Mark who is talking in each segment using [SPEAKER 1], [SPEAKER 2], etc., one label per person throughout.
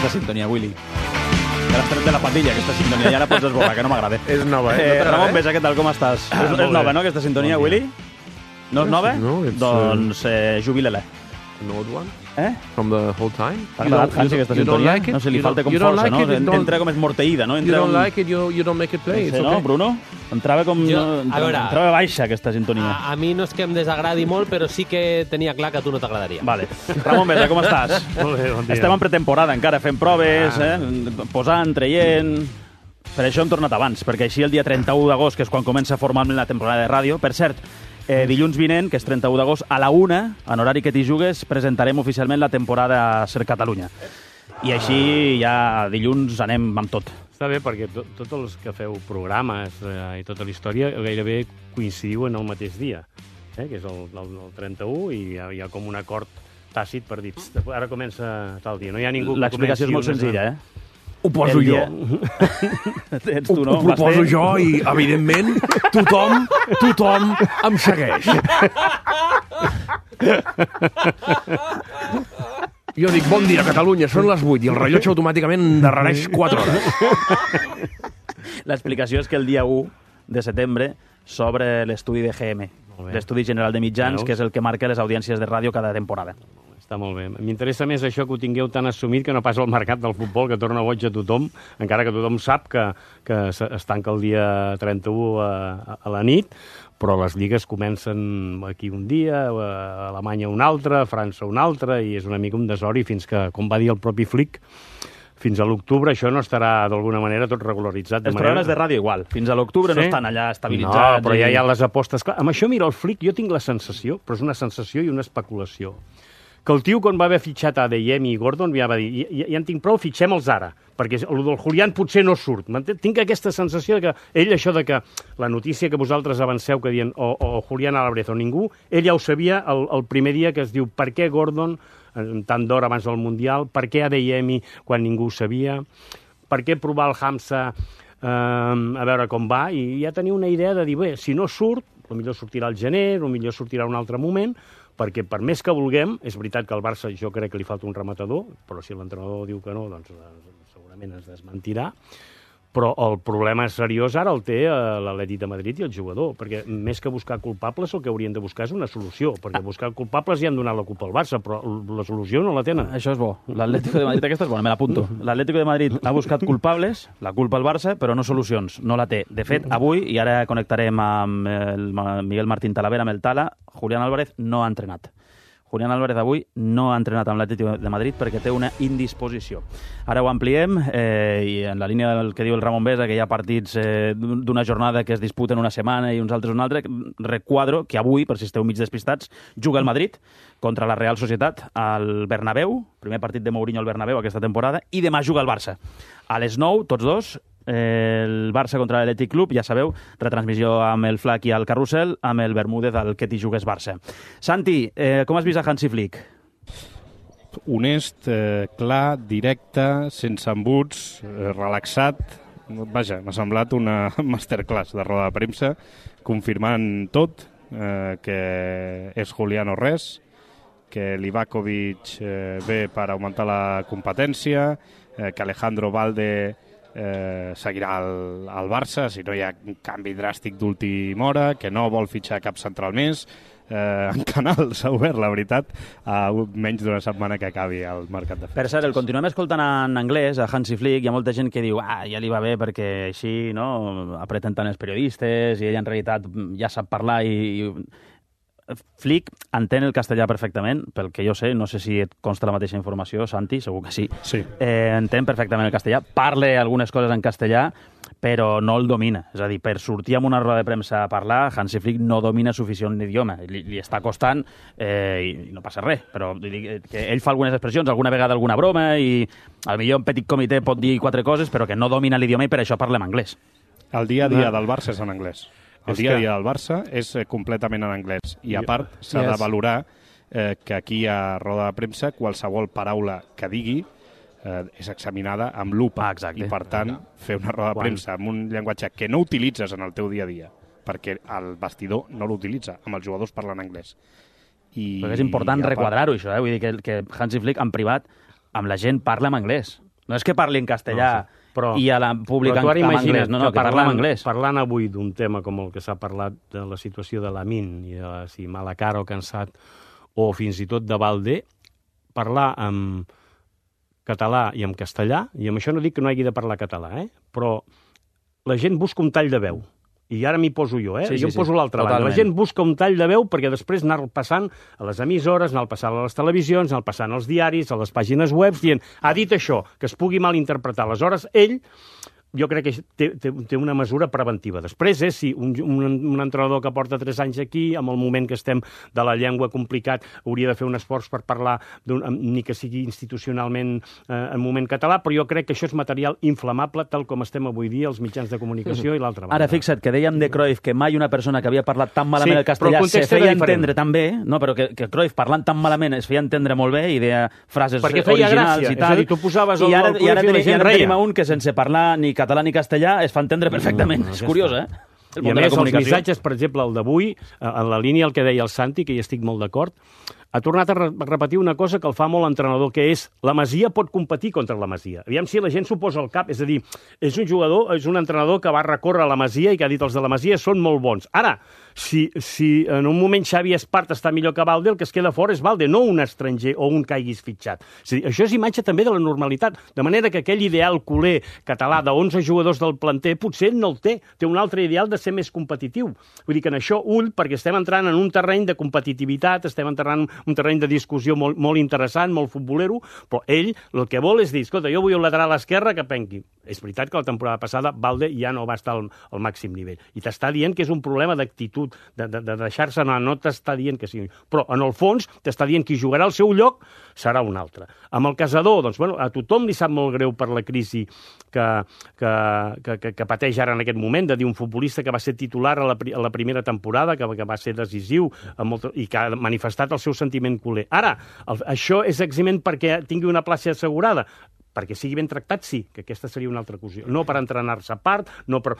[SPEAKER 1] aquesta sintonia, Willy. Que l'has tret de la patilla, aquesta sintonia. Ja la pots esborrar, que no m'agrada.
[SPEAKER 2] És nova,
[SPEAKER 1] Ramon Besa, què tal, com estàs? És nova, no, aquesta sintonia, Willy? No és nova?
[SPEAKER 2] No,
[SPEAKER 1] doncs jubila-la.
[SPEAKER 2] An old one?
[SPEAKER 1] Eh?
[SPEAKER 2] From the whole time?
[SPEAKER 1] T'ha agradat, Hansi, aquesta sintonia? No sé, li falta com força, no? Entra com és morteïda, no?
[SPEAKER 2] You don't like it, you don't make it play.
[SPEAKER 1] No sé, no, Bruno? Entrava com... Entrava baixa, aquesta sintonia.
[SPEAKER 3] A mi no és que em desagradi molt, però sí que tenia clar que a tu no t'agradaria.
[SPEAKER 1] Vale. Ramon Besa, com estàs?
[SPEAKER 4] Molt bé, bon dia.
[SPEAKER 1] Estem en pretemporada encara, fent proves, posant, traient... Per això hem tornat abans, perquè així el dia 31 d'agost, que és quan comença formalment la temporada de ràdio, per cert, dilluns vinent, que és 31 d'agost, a la 1, en horari que t'hi jugues, presentarem oficialment la temporada Ser Catalunya. I així ja dilluns anem amb tot.
[SPEAKER 4] Està bé, perquè tots els que feu programes i tota la història gairebé coincidiu en el mateix dia, que és el 31, i hi ha com un acord tàcit per dir ara comença tal dia. No hi ha ningú que
[SPEAKER 1] l'explicació és molt senzilla,
[SPEAKER 2] Ho poso jo.
[SPEAKER 1] Ets tu, no?
[SPEAKER 2] Ho poso jo i, evidentment, tothom em segueix. Jo dic, bon dia, Catalunya, són les 8 i el rellotge automàticament endarrereix 4 hores.
[SPEAKER 1] L'explicació és que el dia 1 de setembre s'obre l'estudi de GM, l'Estudi General de Mitjans, que és el que marca les audiències de ràdio cada temporada.
[SPEAKER 4] Està molt bé. M'interessa més això que ho tingueu tan assumit que no pas el mercat del futbol, que torna boig a tothom, encara que tothom sap que es tanca el dia 31 a la nit, però les lligues comencen aquí un dia, a Alemanya un altre, a França un altre, i és una mica un desori fins que, com va dir el propi Flick, fins a l'octubre això no estarà d'alguna manera tot regularitzat.
[SPEAKER 1] Els programes de ràdio igual. Fins a l'octubre no estan allà estabilitzats.
[SPEAKER 4] No, però ja hi ha les apostes. Clar, amb això, mira, el Flick, jo tinc la sensació, però és una sensació i una especulació, que el tio, quan va haver fitxat a Adeyemi i Gordon, ja va dir, ja en tinc prou, fitxem-los ara, perquè el del Julián potser no surt. Tinc aquesta sensació que ell, això de que la notícia que vosaltres avanceu, que diuen o Julián Álvarez o ningú, ell ja ho sabia el primer dia, que es diu per què Gordon, tant d'hora abans del Mundial, per què Adeyemi quan ningú ho sabia, per què provar el Hamza a veure com va, i ja tenia una idea de dir, bé, si no surt, potser sortirà al gener, potser sortirà un altre moment, perquè per més que vulguem, és veritat que al Barça jo crec que li falta un rematador, però si l'entrenador diu que no, doncs segurament es desmentirà, però el problema seriós ara el té l'Atlètic de Madrid i el jugador, perquè més que buscar culpables el que haurien de buscar és una solució, perquè buscar culpables ja han donat la culpa al Barça, però la solució no la tenen.
[SPEAKER 1] Això és bo. L'Atlético de Madrid, aquesta és bona, me l'apunto. L'Atlético de Madrid ha buscat culpables, la culpa al Barça, però no solucions, no la té. De fet, avui, i ara connectarem amb el Miguel Martín Talavera, amb el Tala, Julián Álvarez no ha entrenat. Julián Álvarez avui no ha entrenat amb l'Atlético de Madrid perquè té una indisposició. Ara ho ampliem i en la línia del que diu el Ramon Besa, que hi ha partits d'una jornada que es disputen una setmana i uns altres una altra, requadro que avui, per si esteu mig despistats, juga el Madrid contra la Real Societat al Bernabéu, primer partit de Mourinho al Bernabéu aquesta temporada, i demà juga el Barça. A les 9, tots dos, el Barça contra l'Atlètic Club, ja sabeu, retransmissió amb el Flac i el Carrusel, amb el Bermúdez al que t'hi jugues Barça. Santi, com has vist a Hansi Flick?
[SPEAKER 5] Honest, clar, directe, sense embuts, relaxat. Vaja, m'ha semblat una masterclass de roda de premsa, confirmant tot, que és Julián o res, que Livakovic ve per augmentar la competència, que Alejandro Valde seguirà al Barça si no hi ha un canvi dràstic d'última hora, que no vol fitxar cap central més. En Canal s'ha obert, la veritat, a menys d'una setmana que acabi el mercat de fitxatges.
[SPEAKER 1] Per cert, el continuem escoltant en anglès, a Hansi Flick. Hi ha molta gent que diu ja li va bé perquè així no apreten tant els periodistes i ell en realitat ja sap parlar i Flick entén el castellà perfectament, pel que jo sé, no sé si et consta la mateixa informació, Santi, segur que sí.
[SPEAKER 5] Sí.
[SPEAKER 1] Entén perfectament el castellà, parla algunes coses en castellà, però no el domina. És a dir, per sortir amb una roda de premsa a parlar, Hansi Flick no domina suficient l'idioma. Li està costant i no passa res, però que ell fa algunes expressions, alguna vegada alguna broma, i potser un petit comitè pot dir 4 coses, però que no domina l'idioma i per això parla en anglès.
[SPEAKER 5] El dia a dia del Barça és en anglès. El dia a dia del Barça és completament en anglès. I a part, s'ha de valorar que aquí a roda de premsa qualsevol paraula que digui és examinada amb lupa. I per tant, fer una roda de premsa amb un llenguatge que no utilitzes en el teu dia a dia, perquè el vestidor no l'utilitza, amb els jugadors parlen anglès.
[SPEAKER 1] Però és important requadrar-ho, això. Vull dir que Hansi Flick, en privat, amb la gent parla en anglès. No és que parli en castellà i a la pública
[SPEAKER 4] en
[SPEAKER 1] anglès, no, que parla en anglès.
[SPEAKER 4] Parlant avui d'un tema com el que s'ha parlat de la situació de Lamin i de si mala cara o cansat, o fins i tot de Valde, parlar en català i en castellà, i amb això no dic que no hagi de parlar català, però la gent busca un tall de veu. I ara m'hi poso jo,
[SPEAKER 1] Sí,
[SPEAKER 4] jo em poso l'altra banda. La gent busca un tall de veu perquè després anar passant a les emissores, anar passant a les televisions, anar passant als diaris, a les pàgines web, dient, ha dit això, que es pugui malinterpretar. Aleshores, ell, jo crec que té una mesura preventiva. Després, si un entrenador que porta 3 anys aquí, amb el moment que estem de la llengua complicat, hauria de fer un esforç per parlar, ni que sigui institucionalment en moment català, però jo crec que això és material inflamable, tal com estem avui dia els mitjans de comunicació i l'altra banda.
[SPEAKER 1] Ara, fixa't, que dèiem de Cruyff que mai una persona que havia parlat tan malament el castellà se feia entendre tan bé, no? Però que Cruyff parlant tan malament es feia entendre molt bé i deia frases originals i tal.
[SPEAKER 4] És a dir, tu posaves el
[SPEAKER 1] Cruyff i ara tenim un que sense parlar ni català ni castellà es fa entendre perfectament. És curiós,
[SPEAKER 4] I a més, els missatges, per exemple, el d'avui, en la línia el que deia el Santi, que hi estic molt d'acord, ha tornat a repetir una cosa que el fa molt l'entrenador, que és la Masia pot competir contra la Masia. Aviam si la gent s'ho posa al cap. És a dir, és un jugador, és un entrenador que va recórrer a la Masia i que ha dit els de la Masia són molt bons. Ara, si en un moment Xavi Espart està millor que Valde, el que es queda fora és Valde, no un estranger o un que hagis fitxat. És a dir, això és imatge també de la normalitat. De manera que aquell ideal culer català de 11 jugadors del planter potser no el té. Té un altre ideal de ser més competitiu. Vull dir que en això ull, perquè estem entrant en un terreny de competitivitat, estem entrant en un terreny de discussió molt interessant, molt futbolero, però ell el que vol és dir, escolta, jo vull un lateral esquerre que penqui. És veritat que la temporada passada Valde ja no va estar al màxim nivell. I t'està dient que és un problema d'actitud, de deixar-se anar, no t'està dient que sí. Però, en el fons, t'està dient que jugarà al seu lloc serà un altre. Amb el Casador, doncs, bueno, a tothom li sap molt greu per la crisi que pateix ara en aquest moment, de dir un futbolista que va ser titular a la primera temporada, que va ser decisiu i que ha manifestat el seu sentiment culer. Ara, això és eximent perquè tingui una plaça assegurada? Perquè sigui ben tractat, sí, que aquesta seria una altra qüestió. No per entrenar-se a part, no per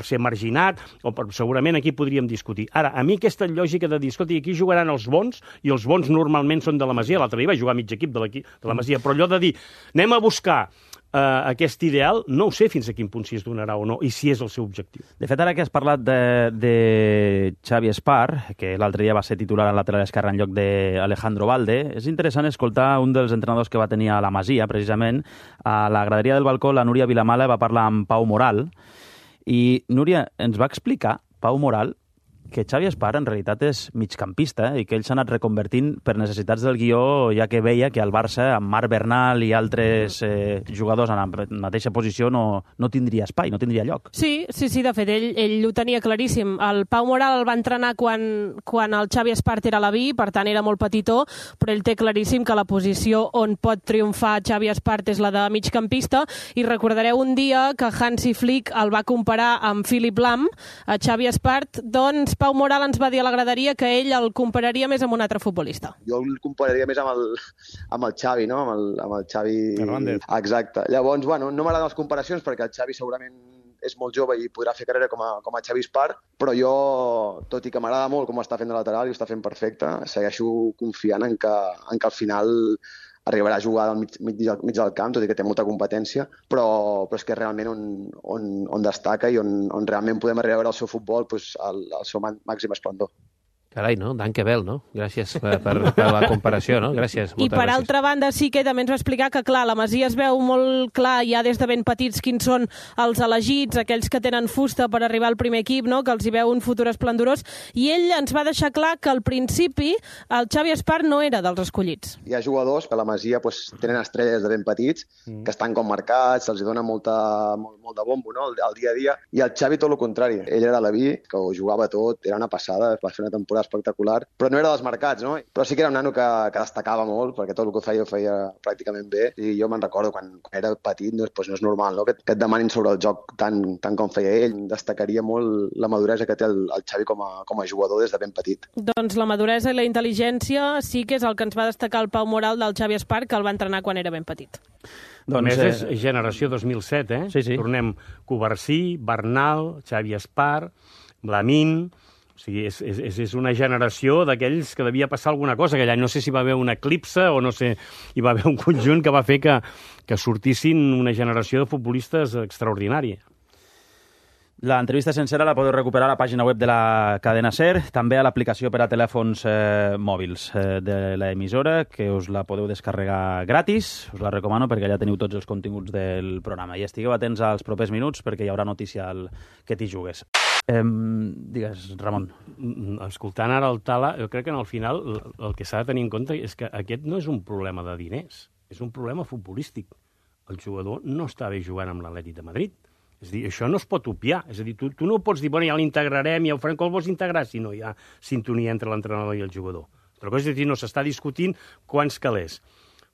[SPEAKER 4] ser marginat, segurament aquí podríem discutir. Ara, a mi aquesta lògica de dir, escolta, aquí jugaran els bons, i els bons normalment són de la Masia, l'altre dia va jugar mig equip de la Masia, però allò de dir, anem a buscar aquest ideal, no ho sé fins a quin punt si es donarà o no, i si és el seu objectiu.
[SPEAKER 1] De fet, ara que has parlat de Xavi Espart, que l'altre dia va ser titular al lateral esquerre en lloc d'Alejandro Valde, és interessant escoltar un dels entrenadors que va tenir a la Masia, precisament, a la graderia del balcó, la Núria Vilamala va parlar amb Pau Moral, i Núria ens va explicar, Pau Moral, que Xavi Espart en realitat és migcampista i que ell s'ha anat reconvertint per necessitats del guió, ja que veia que al Barça, amb Marc Bernal i altres jugadors en la mateixa posició, no tindria espai, no tindria lloc.
[SPEAKER 6] Sí, de fet, ell ho tenia claríssim. El Pau Moral el va entrenar quan el Xavi Espart era a la B, per tant era molt petitó, però ell té claríssim que la posició on pot triomfar Xavi Espart és la de migcampista, i recordareu un dia que Hansi Flick el va comparar amb Philipp Lahm, a Xavi Espart, doncs Pau Moral ens va dir a la graderia que ell el compararia més amb un altre futbolista.
[SPEAKER 7] Jo el compararia més amb el Xavi, no? Amb el Xavi
[SPEAKER 4] Hernández.
[SPEAKER 7] Exacte. Llavors, bueno, no m'agraden les comparacions perquè el Xavi segurament és molt jove i podrà fer carrera com a Xavi Espart, però jo, tot i que m'agrada molt com està fent de lateral i ho està fent perfecte, segueixo confiant en que al final arribarà a jugar al mig del camp, tot i que té molta competència, però és que realment on destaca i on realment podem arribar a veure el seu futbol al seu màxim esplendor.
[SPEAKER 3] Carai, no? Danke Bell, no? Gràcies per la comparació, no? Gràcies.
[SPEAKER 6] I per altra banda sí que també ens va explicar que, clar, la Masia es veu molt clar ja des de ben petits quins són els elegits, aquells que tenen fusta per arribar al primer equip, no? Que els hi veu un futur esplendorós, i ell ens va deixar clar que al principi el Xavi Espart no era dels escollits.
[SPEAKER 7] Hi ha jugadors que a la Masia tenen estrelles de ben petits, que estan com marcats, se'ls dona molt de bombo, no? El dia a dia, i el Xavi tot el contrari. Ell era la B, que ho jugava tot, era una passada, va fer una temporada espectacular, però no era dels marcats, no? Però sí que era un nano que destacava molt, perquè tot el que ho feia pràcticament bé, i jo me'n recordo quan era petit, no és normal, no? Que et demanin sobre el joc tant com feia ell. Destacaria molt la maduresa que té el Xavi com a jugador des de ben petit.
[SPEAKER 6] Doncs la maduresa i la intel·ligència sí que és el que ens va destacar el Pau Moral del Xavi Espart, que el va entrenar quan era ben petit.
[SPEAKER 4] Doncs és generació 2007,
[SPEAKER 1] Sí.
[SPEAKER 4] Tornem Covarsí, Bernal, Xavi Espart, Lamin, O sigui, és una generació d'aquells que devia passar alguna cosa, que allà no sé si va haver un eclipse o no sé, hi va haver un conjunt que va fer que sortissin una generació de futbolistes extraordinària.
[SPEAKER 1] L'entrevista sencera la podeu recuperar a la pàgina web de la cadena SER, també a l'aplicació per a telèfons mòbils de l'emissora, que us la podeu descarregar gratis. Us la recomano perquè allà teniu tots els continguts del programa. I estigueu atents als propers minuts perquè hi haurà notícia al que t'hi jugues. Digues, Ramon.
[SPEAKER 4] Escoltant ara el Tala, jo crec que al final el que s'ha de tenir en compte és que aquest no és un problema de diners, és un problema futbolístic. El jugador no està bé jugant amb l'Atlètic de Madrid. És a dir, això no es pot obviar. És a dir, tu no pots dir, bueno, ja l'integrarem, ja ho farem, com el vols integrar, si no hi ha sintonia entre l'entrenador i el jugador. Altra cosa és dir, no s'està discutint quants calés.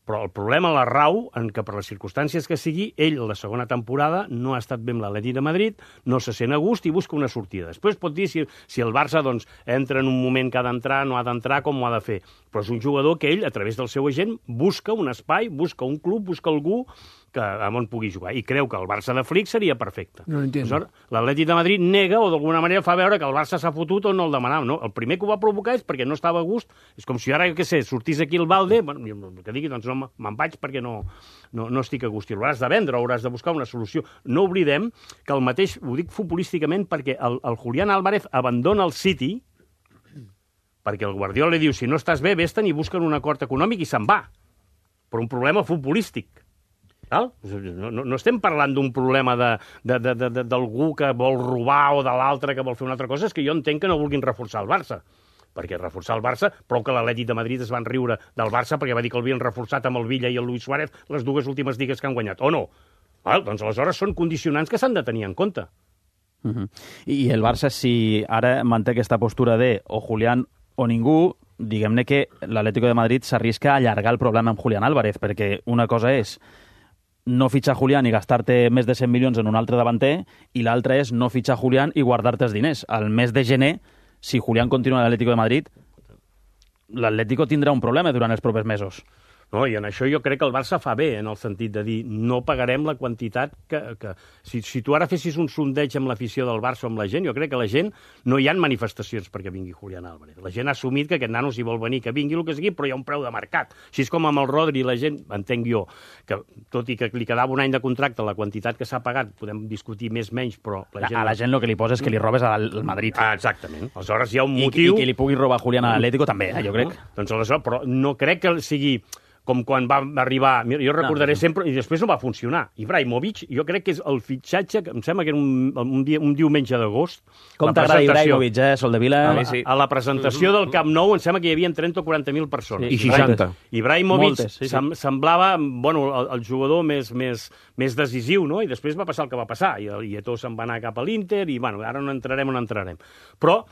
[SPEAKER 4] Però el problema la rau en que per les circumstàncies que sigui, ell, la segona temporada, no ha estat bé amb l'Atlètic de Madrid, no se sent a gust i busca una sortida. Després pot dir si el Barça doncs, entra en un moment que ha d'entrar, no ha d'entrar, com ho ha de fer. Però és un jugador que ell, a través del seu agent, busca un espai, busca un club, busca algú on pugui jugar. I creu que el Barça de Flick seria perfecte.
[SPEAKER 2] No entiendo.
[SPEAKER 4] L'Atlètic de Madrid nega o d'alguna manera fa veure que el Barça s'ha fotut o no el demanava. No? El primer que ho va provocar és perquè no estava a gust. És com si ara, jo què sé, sortís aquí el Valde, bueno, que digui, doncs no, me'n vaig perquè no estic a gust. I l'hauràs de vendre, hauràs de buscar una solució. No oblidem que el mateix, ho dic futbolísticament, perquè el Julián Álvarez abandona el City perquè el Guardiola li diu, si no estàs bé, vés-te'n i busquen un acord econòmic i se'n va. Per un problema futbolístic. No estem parlant d'un problema d'algú que vol robar o de l'altre que vol fer una altra cosa, és que jo entenc que no vulguin reforçar el Barça, perquè reforçar el Barça, prou que l'Atlètic de Madrid es van riure del Barça perquè va dir que l'havien reforçat amb el Villa i el Luis Suárez les dues últimes lligues que han guanyat, o no? Doncs aleshores són condicionants que s'han de tenir en compte.
[SPEAKER 1] I el Barça, si ara manté aquesta postura de o Julián o ningú, diguem-ne que l'Atlético de Madrid s'arrisca a allargar el problema amb Julián Álvarez, perquè una cosa és no fitxar Julián i gastar-te més de 100 milions en un altre davanter, i l'altra és no fitxar Julián i guardar-te els diners. Al mes de gener, si Julián continua a l'Atlético de Madrid, l'Atlético tindrà un problema durant els propers mesos.
[SPEAKER 4] No, i en això jo crec que el Barça fa bé, en el sentit de dir no pagarem la quantitat que... Si tu ara fessis un sondeig amb l'afició del Barça o amb la gent, jo crec que la gent no hi ha manifestacions perquè vingui Julián Álvarez. La gent ha assumit que aquest nano si vol venir, que vingui el que sigui, però hi ha un preu de mercat. Així és com amb el Rodri, la gent, entenc jo, que tot i que li quedava un any de contracte, la quantitat que s'ha pagat, podem discutir més menys, però la gent...
[SPEAKER 1] A la gent el que li posa és que li robes al Madrid.
[SPEAKER 4] Exactament. Aleshores hi ha un motiu...
[SPEAKER 1] I que li pugui robar Julián a l'Atlético també, jo crec.
[SPEAKER 4] Doncs aleshores, però no crec que sigui... com quan va arribar... Jo recordaré sempre, i després no va funcionar. Ibrahimovic, jo crec que és el fitxatge, que em sembla que era un diumenge d'agost.
[SPEAKER 1] Com t'agrada Ibrahimovic, Soldevila?
[SPEAKER 4] A la presentació del Camp Nou em sembla que hi havia 30 o 40.000 persones.
[SPEAKER 2] I 60.
[SPEAKER 4] Ibrahimovic semblava el jugador més decisiu, no? I després va passar el que va passar. I Eto'o se'n va anar cap a l'Inter, i ara no entrarem. Però,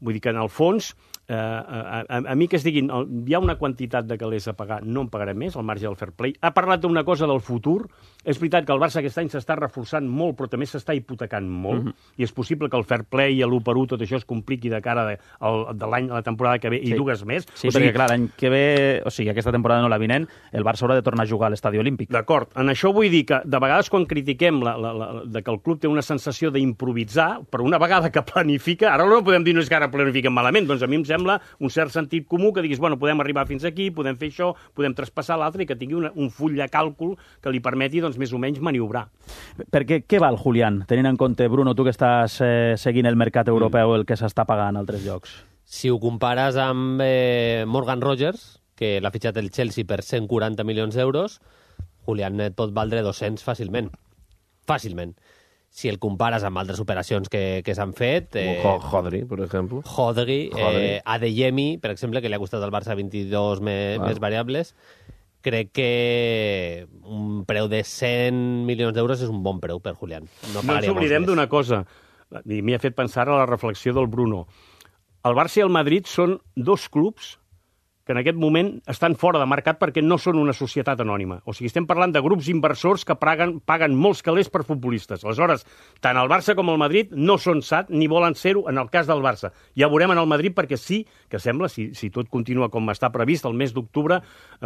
[SPEAKER 4] vull dir que en el fons... a mi que es diguin hi ha una quantitat de calés a pagar, no en pagarem més, al marge del fair play. Ha parlat d'una cosa del futur. És veritat que el Barça aquest any s'està reforçant molt, però també s'està hipotecant molt, i és possible que el fair play i l'1-1, tot això es compliqui de cara de l'any, la temporada que ve, i dues més.
[SPEAKER 1] Sí, perquè clar, l'any que ve, o sigui, aquesta temporada no la vinent, el Barça haurà de tornar a jugar a l'Estadi Olímpic.
[SPEAKER 4] D'acord, en això vull dir que de vegades quan critiquem que el club té una sensació d'improvisar, però una vegada que planifica, ara no podem dir no és que ara planifiquen malament, doncs a mi em sembla un cert sentit comú que diguis, bueno, podem arribar fins aquí, podem fer això, podem traspassar l'altre, i que tingui un full de càlcul que li permeti, doncs, més o menys maniobrar.
[SPEAKER 1] Perquè què val Julián, tenint en compte, Bruno, tu que estàs seguint el mercat europeu, el que s'està pagant a altres llocs?
[SPEAKER 3] Si ho compares amb Morgan Rogers, que l'ha fitxat el Chelsea per 140 milions d'euros, Julián et pot valdre 200 fàcilment. Fàcilment. Si el compares amb altres operacions que s'han fet...
[SPEAKER 2] Hodri, per exemple.
[SPEAKER 3] Hodri. Adeyemi, per exemple, que li ha costat al Barça 22 més variables. Crec que un preu de 100 milions d'euros és un bon preu per Julián.
[SPEAKER 4] No ens oblidem d'una cosa, i m'hi ha fet pensar a la reflexió del Bruno. El Barça i el Madrid són dos clubs que en aquest moment estan fora de mercat perquè no són una societat anònima. O sigui, estem parlant de grups inversors que paguen molts calés per futbolistes. Aleshores, tant el Barça com el Madrid no són SAT ni volen ser-ho en el cas del Barça. Ja veurem en el Madrid perquè sí que sembla, si tot continua com està previst, el mes d'octubre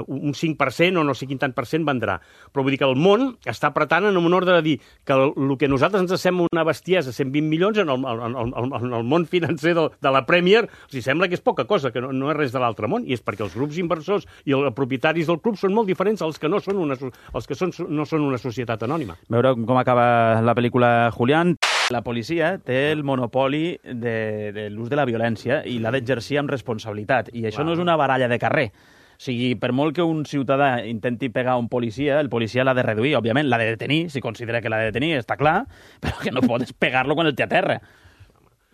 [SPEAKER 4] un 5% o no sé quin tant per cent vendrà. Però vull dir que el món està apretant en un ordre de dir que el que a nosaltres ens sembla una bestiesa, 120 milions, en el món financer de la Premier, o sigui, sembla que és poca cosa, que no és res de l'altre món, i és perquè els grups inversors i els propietaris del club són molt diferents als que no són una societat anònima.
[SPEAKER 1] Veure com acaba la pel·lícula Julián. La policia té el monopoli de l'ús de la violència i l'ha d'exercir amb responsabilitat. I això no és una baralla de carrer. O sigui, per molt que un ciutadà intenti pegar un policia, el policia l'ha de reduir, òbviament, l'ha de detenir, si considera que l'ha de detenir, està clar, però que no pots pegar-lo quan el té a terra.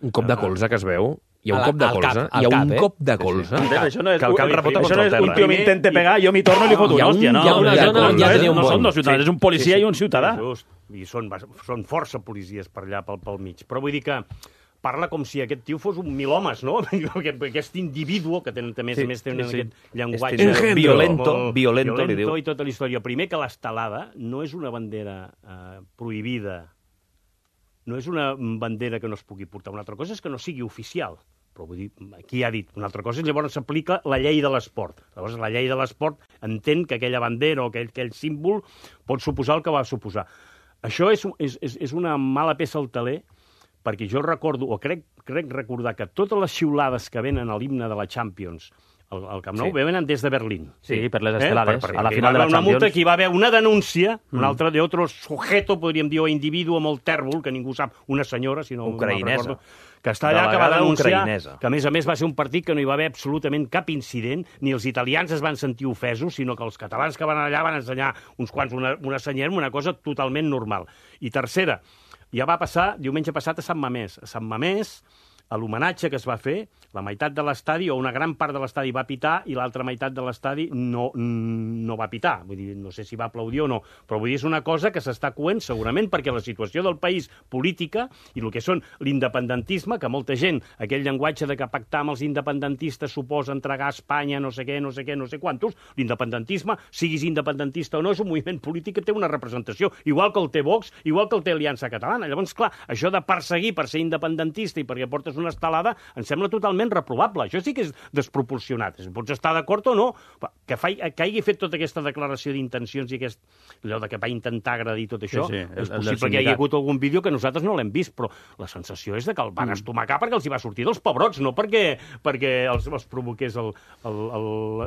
[SPEAKER 2] Un cop de colze que es veu. Hi ha un cop de colze. Hi ha un cop de colze.
[SPEAKER 1] Això no és,
[SPEAKER 2] que el cap rebota contra el terra.
[SPEAKER 1] Un tio m'intenta pegar, jo m'hi torno i li foto una hòstia.
[SPEAKER 3] Hi ha una zona on ja tenia un
[SPEAKER 1] no són
[SPEAKER 3] bon.
[SPEAKER 1] dos ciutadans, és un policia i un ciutadà.
[SPEAKER 4] Just. I són força policies per allà, pel mig. Però vull dir que parla com si aquest tio fos un milhomes, no? Aquest individu que tenen també aquest llenguatge
[SPEAKER 2] violento, li diu.
[SPEAKER 4] I tota la història. Primer que l'estelada no és una bandera prohibida, no és una bandera que no es pugui portar. Una altra cosa és que no sigui oficial. Però vull dir, qui ha dit? Una altra cosa és llavors s'aplica la llei de l'esport. Llavors la llei de l'esport entén que aquella bandera o aquell símbol pot suposar el que va suposar. Això és una mala peça al taler, perquè jo recordo, o crec recordar, que totes les xiulades que venen a l'himne de la Champions al Camp Nou venen des de Berlín.
[SPEAKER 1] Sí, per les estelades, a la final de la
[SPEAKER 4] Champions. Una multa que hi va haver una denúncia, un altre d'altre sujeto, podríem dir, o individu molt tèrbol, que ningú sap, una senyora, si no
[SPEAKER 2] ucraïnesa,
[SPEAKER 4] que està allà, que va denunciar, que a més va ser un partit que no hi va haver absolutament cap incident, ni els italians es van sentir ofesos, sinó que els catalans que van allà van ensenyar uns quants una senyera, una cosa totalment normal. I tercera, ja va passar diumenge passat a Sant Mamés. A Sant Mamés, a l'homenatge que es va fer, la meitat de l'estadi, o una gran part de l'estadi va pitar, i l'altra meitat de l'estadi no va pitar. Vull dir, no sé si va aplaudir o no, però vull dir, és una cosa que s'està coent segurament perquè la situació del país política i el que són l'independentisme, que molta gent, aquell llenguatge de que pactar amb els independentistes suposa entregar a Espanya no sé què, no sé quantos, l'independentisme, siguis independentista o no, és un moviment polític que té una representació, igual que el té Vox, igual que el té Aliança Catalana. Llavors, clar, això de perseguir per ser independentista i perquè portes una estelada, em sembla totalment reprovable. Això sí que és desproporcionat. Pots estar d'acord o no, que hagi fet tota aquesta declaració d'intencions i allò de que va intentar agradir tot això, és possible que hi hagi hagut algun vídeo que nosaltres no l'hem vist, però la sensació és de que el van estomacar perquè els hi va sortir dels pebrots, no perquè els provoqués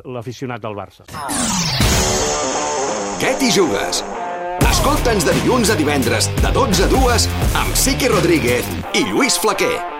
[SPEAKER 4] l'aficionat del Barça.
[SPEAKER 8] Què t'hi jugues? Escolta'ns de dilluns a divendres, de 12 a 2, amb Siqui Rodríguez i Lluís Flaquer.